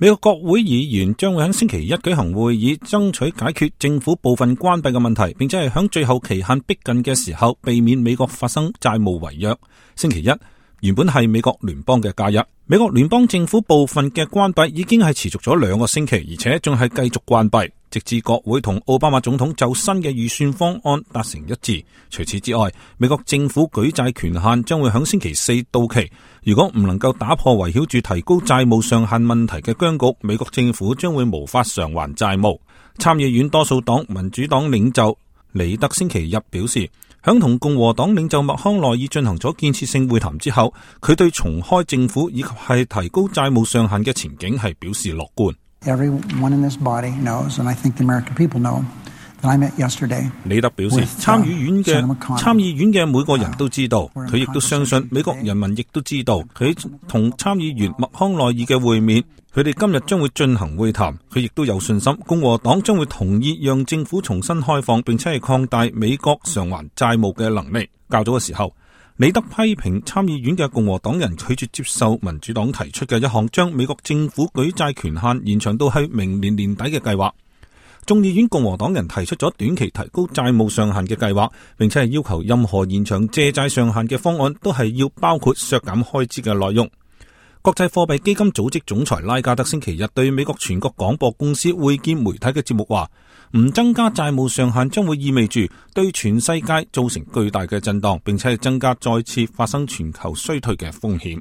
美國國會議員將會喺星期一舉行會議，爭取解決政府部分關閉嘅問題，並且係喺最後期限逼近嘅時候，避免美國發生債務違約。星期一原本係美國聯邦嘅假日，美國聯邦政府部分嘅關閉已經係持續咗2個星期，而且仲係繼續關閉，直至國會同奧巴馬總統就新嘅預算方案達成一致。除此之外，美國政府舉債權限將會喺星期4到期。如果唔能夠打破圍繞住提高債務上限問題嘅僵局，美國政府將會無法償還債務。參議院多數黨民主黨領袖李德星期日表示，響同共和黨領袖麥康奈爾進行咗建設性會談之後，佢對重開政府以及係提高債務上限嘅前景係表示樂觀。Everyone in this body knows, and I think the American people know, that I met yesterday. 李德表示，參議院嘅每個人都知道，佢亦都相信美國人民亦都知道，佢同參議員麥康奈爾嘅會面，佢哋今日將會進行會談，佢亦都有信心共和黨將會同意讓政府重新開放，並且係擴大美國償還債務嘅能力。較早嘅時候，李德批評參議院嘅共和黨人拒絕接受民主黨提出嘅一項將美國政府舉債權限延長到去明年年底嘅計劃。眾議院共和黨人提出咗短期提高債務上限嘅計劃，並且係要求任何延長借債上限嘅方案都係要包括削減開支嘅內容。國際貨幣基金組織總裁拉加德星期日對美國全國廣播公司會見媒體嘅節目話，唔增加債務上限將會意味住對全世界造成巨大嘅震盪，並且係增加再次發生全球衰退嘅風險。